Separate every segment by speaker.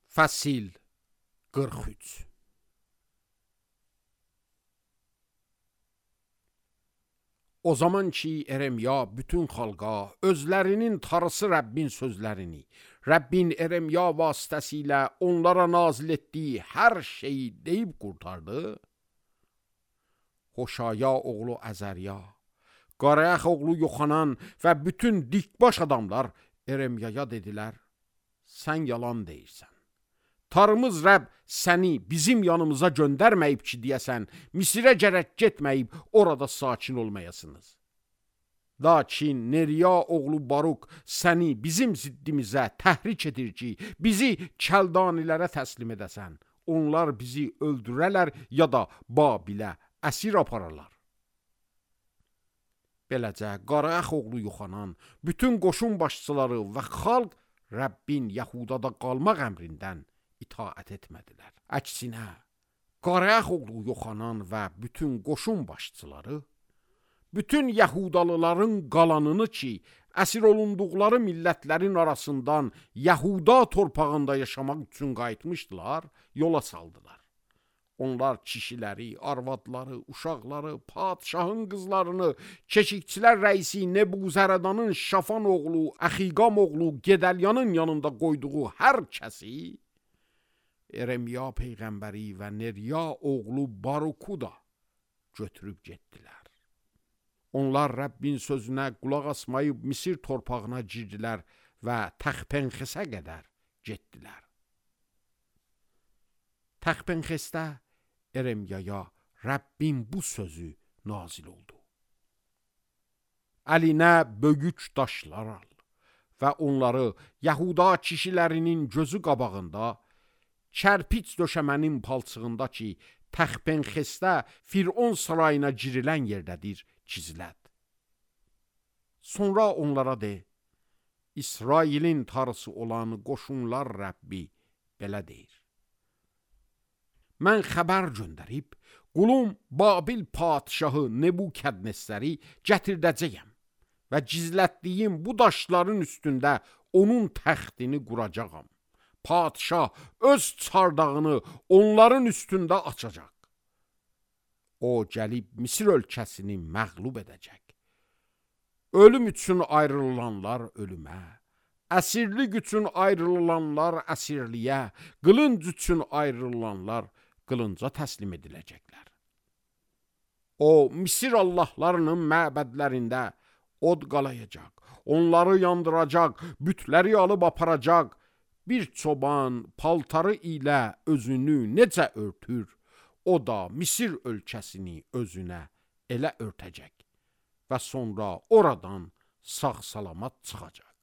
Speaker 1: Fəsil 43. O zaman ki Eremya bütün xalqa özlərinin tarısı Rəbbin sözlərini, Rəbbin Eremya vasitəsilə onlara nazil etdiyi hər şeyi deyib qurtardı, Hoşaya oğlu Əzərya, Qarayaq oğlu Yoxanan və bütün dikbaş adamlar Eremyaya dedilər, sən yalan deyirsən. Tarımız Rəbb səni bizim yanımıza göndərməyib ki, deyəsən, Misirə gərək getməyib, orada sakin olmayasınız. Lakin Neriya oğlu Baruk səni bizim ziddimizə təhrik edir ki, bizi kəldanilərə təslim edəsən. Onlar bizi öldürərlər ya da Babilə əsir apararlar. Beləcə, Qarayaq oğlu Yoxanan, bütün qoşun başçıları və xalq Rəbbin Yəhudada qalmaq əmrindən itaət etmədilər. Əksinə, Qarayaq oğlu Yoxanan və bütün qoşun başçıları, bütün Yəhudalıların qalanını ki, əsir olunduqları millətlərin arasından Yəhuda torpağında yaşamaq üçün qayıtmışdılar, yola saldılar. Onlar kişiləri, arvadları, uşaqları, padşahın qızlarını, keşikçilər rəisi Nebuzərədanın Şafan oğlu, Əxiqam oğlu Gedəlyanın yanında qoyduğu hər kəsi, Eremya peyğəmbəri və Neriya oğlu Baruku da götürüb getdilər. Onlar Rəbbin sözünə qulaq asmayıb Misir torpağına girdilər və Təxpenxesə qədər getdilər. Təxpenxesdə Eremyaya Rəbbin bu sözü nazil oldu. Əlinə böyük daşlar al və onları Yəhuda kişilərinin gözü qabağında, kərpiç döşəmənin palçığında ki, Təxpenxesdə Firon sarayına girilən yerdədir, gizlət. Sonra onlara de, İsrailin tarısı olan qoşunlar Rəbbi belə deyir. Mən xəbər göndərib, qulum Babil padşahı Nebukadnezəri gətirdəcəyəm və gizlətdiyim bu daşların üstündə onun təxtini quracağam. Padşah öz çardağını onların üstündə açacaq. O gəlib Misir ölkəsini məğlub edəcək. Ölüm üçün ayrılanlar ölümə, əsirlik üçün ayrılanlar əsirliyə, qılınc üçün ayrılanlar qılınca təslim ediləcəklər. O Misir allahlarının məbədlərində od qalayacaq, onları yandıracaq, bütləri alıb aparacaq. Bir çoban paltarı ilə özünü necə örtür, o da Misir ölkəsini özünə elə örtəcək və sonra oradan sağ-salamat çıxacaq.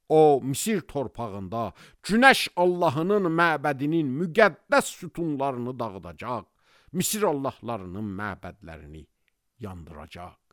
Speaker 1: O Misir torpağında Günəş Allahının məbədinin müqəddəs sütunlarını dağıdacaq, Misir allahlarının məbədlərini yandıracaq.